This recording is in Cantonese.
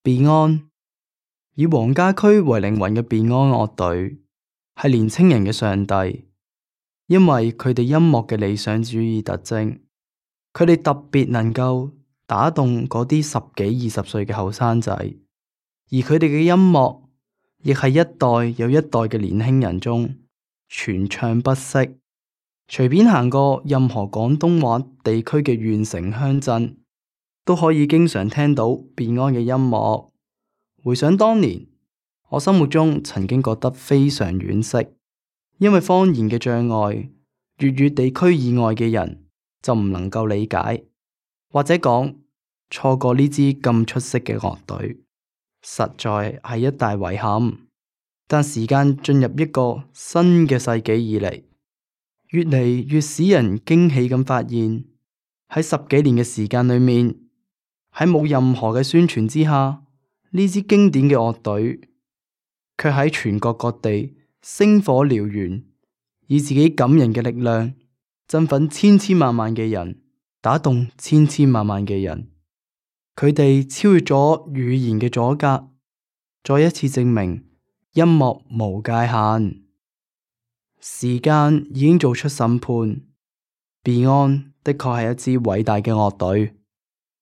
Beyond 以黃家駒為靈魂嘅 Beyond 樂隊係年青人嘅上帝，因為佢哋音樂嘅理想主義特徵，佢哋特別能夠打動嗰啲十幾20歲嘅後生仔，而佢哋嘅音樂亦係一代又一代嘅年輕人中傳唱不息。隨便行過任何廣東話地區嘅縣城鄉鎮，都可以經常聽到 Beyond 嘅音樂。回想當年，我心目中曾經覺得非常惋惜，因為方言嘅障礙，粵語地區以外嘅人就唔能夠理解，或者講錯過呢支咁出色嘅樂隊，實在係一大遺憾。但時間進入一個新嘅世紀以嚟，越嚟越使人驚喜咁發現，喺10幾年嘅時間裏面，喺冇任何嘅宣傳之下，呢支經典嘅樂隊卻喺全國各地星火燎原，以自己感人嘅力量振奮千千萬萬嘅人，打動千千萬萬嘅人。佢哋超越咗語言嘅阻隔，再一次證明音樂無界限。時間已經做出審判，Beyond 的確係一支偉大嘅樂隊。